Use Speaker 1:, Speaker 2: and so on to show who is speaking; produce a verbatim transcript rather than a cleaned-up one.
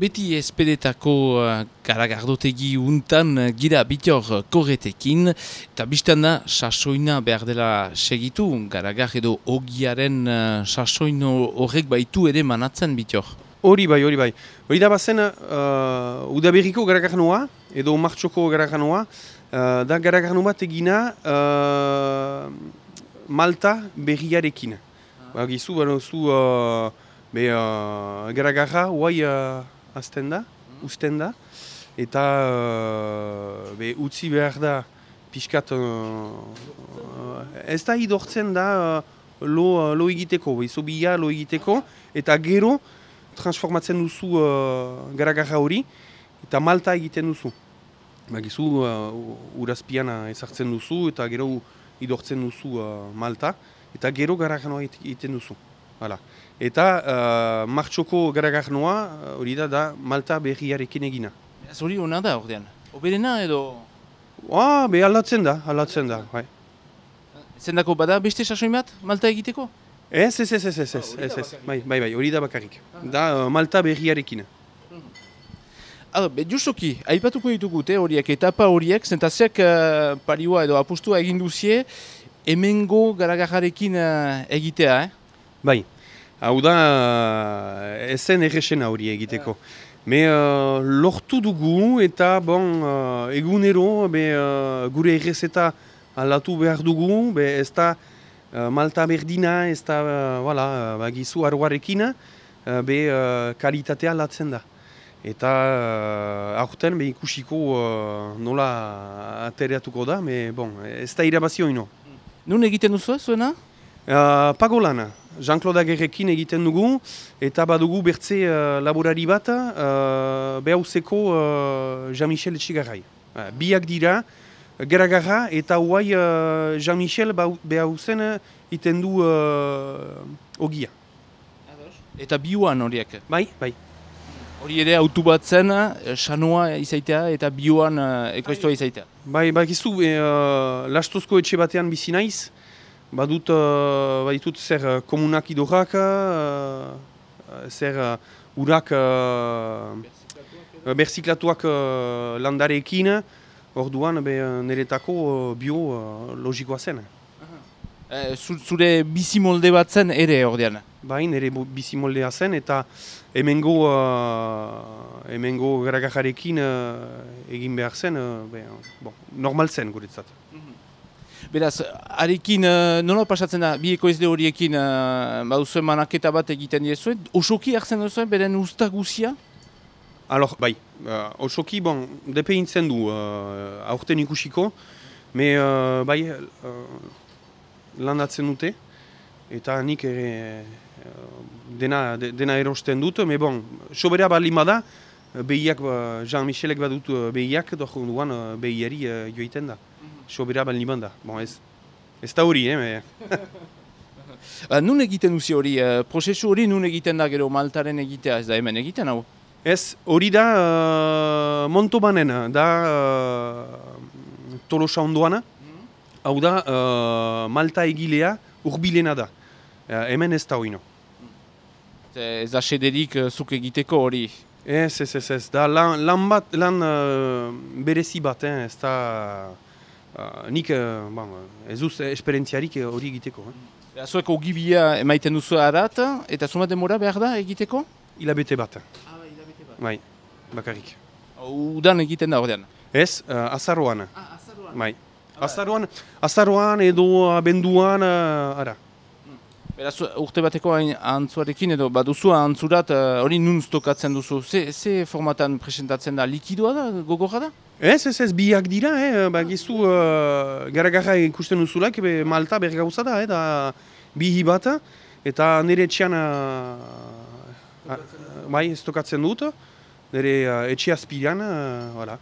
Speaker 1: Beti espedetako uh, garagardotegi untan uh, gira bitor korretekin, eta biztan da sasoina behar dela segitu, garagar edo ogiaren uh, sasoin horrek baitu ere manatzen bitor.
Speaker 2: Hori bai, hori bai. Hori da bazen uh, udaberriko garagarnoa, edo martxoko garagarnoa, uh, da garagarno bat egina uh, Malta berriarekin. Ah. Ba, gizu, bano, zu, uh, be, uh, garagarra, huai, uh, azten da, usten da, eta uh, be, utzi behar da pixkat, uh, ez da idortzen da uh, lo, uh, lo egiteko, izo bila lo egiteko, eta gero transformatzen duzu uh, garagarra hori, eta Malta egiten duzu. Bagizu, uh, urazpian ezartzen duzu, eta gero idortzen duzu uh, Malta, eta gero garagarnoa egiten duzu. Hala. Eta uh, martxoko garagarnoa hori da da Malta berriarekin egina.
Speaker 1: Ez hori hona da ordean? Oberena edo?
Speaker 2: Ah, be aldatzen da, aldatzen da. Bai.
Speaker 1: Zendako bada beste sasoin bat Malta egiteko?
Speaker 2: Ez, ez, ez, ez, ez, ez, ez, bai, bai, bai, hori da bakarrik. Da uh, Malta berriarekin.
Speaker 1: Ado, be, justoki, aipatuko ditugute horiek, etapa horiek, zentaziak uh, parioa edo apustua egin duzie, hemengo garagarrarekin uh, egitea, eh?
Speaker 2: Bai, hau da ezen errexena hori egiteko. Me uh, lortu dugu eta bon, uh, egunero be, uh, gure errezeta aldatu behar dugu, be, ez da uh, Malta berdina, ez da uh, voilà, bagizu arroarekin, uh, be uh, kalitatea aldatzen da. Eta uh, aurten be ikusiko uh, nola atereatuko da, me bon, ez da irabazio ino.
Speaker 1: Nun egiten duzu zuena?
Speaker 2: Uh, Pagolana. Jean-Claude Agerrekin egiten dugu, eta badugu bertze uh, laborari bat, uh, behauzeko uh, Jean-Michel Etxigarrai. Uh, biak dira, garagarra, eta huai uh, Jean-Michel behauzen iten du uh, ogia.
Speaker 1: Eta bioan horiek?
Speaker 2: Bai, bai.
Speaker 1: Hori ere autu bat zen, sanoa izaitea eta bioan uh, ekoiztua izaitea?
Speaker 2: Bai, bai, gizu, uh, lastozko etxe batean bizi naiz, badut, uh, baditut zer uh, komunak idorrak, uh, zer uh, urak uh, berziklatuak uh, landareekin, orduan be, niretako uh, bio uh, logikoa zen.
Speaker 1: Uh, zure bizimolde bat zen ere ordean?
Speaker 2: Bai, nire bizimoldea zen eta hemengo, uh, hemengo garagajarekin uh, egin behar zen, uh, be, bon, normal zen guretzat.
Speaker 1: Beraz, harekin uh, nola pasatzen da, bi ekoizle horiekin uh, baduzuen manaketa bat egiten diezuen, osoki hartzen duzuen, beren usta guzia?
Speaker 2: Alor, bai, uh, osoki, bon, depe intzen du, uh, aurten ikusiko, me uh, bai, uh, landatzen dute, eta nik ere uh, dena, de, dena erosten dut, me bon, sobera balin bada, behiak, uh, Jean-Michelek badut uh, behiak, doi duan uh, behiari uh, joiten da. Sobera balin bada. Bon, ez, ez da hori, eh? Me...
Speaker 1: ba, nun egiten duzi hori, uh, prozesu hori nun egiten da gero Maltaren egitea, ez da hemen egiten hau?
Speaker 2: Ez, hori da uh, Montobanen, da uh, Tolosa ondoana, hau da uh, Malta egilea urbilena da. Uh, hemen ez da hori no.
Speaker 1: Ez da sederik uh, zuk egiteko hori?
Speaker 2: Ez, ez, ez, ez, da lan, lan bat, lan uh, berezi bat, eh? Ez da... Uh, nik uh, bon, ez duz esperientziarik hori egiteko. Eh?
Speaker 1: Zuek ogibia emaiten duzu arat, eta zuma demora behar da egiteko?
Speaker 2: Hilabete bat.
Speaker 1: Ah, bai, hilabete bat.
Speaker 2: Bai, bakarrik.
Speaker 1: Udan egiten da ordean?
Speaker 2: Ez, uh, azaroan.
Speaker 1: Ah, azaroan.
Speaker 2: Bai. Azaroan, azaroan edo abenduan, uh, ara.
Speaker 1: Beraz, urte bateko antzuarekin edo baduzu antzurat hori uh, nun stokatzen duzu. Ze, ze formatan presentatzen da? Likidoa da? Gogorra da?
Speaker 2: Ez, ez, ez, biak dira, eh? Bagizu uh, gara-gara ikusten duzulak, be, Malta bergauza da, eh? Da bihi bat, eta nire etxean uh, uh, bai, stokatzen dut, nire uh, etxe azpiran, uh, voilà.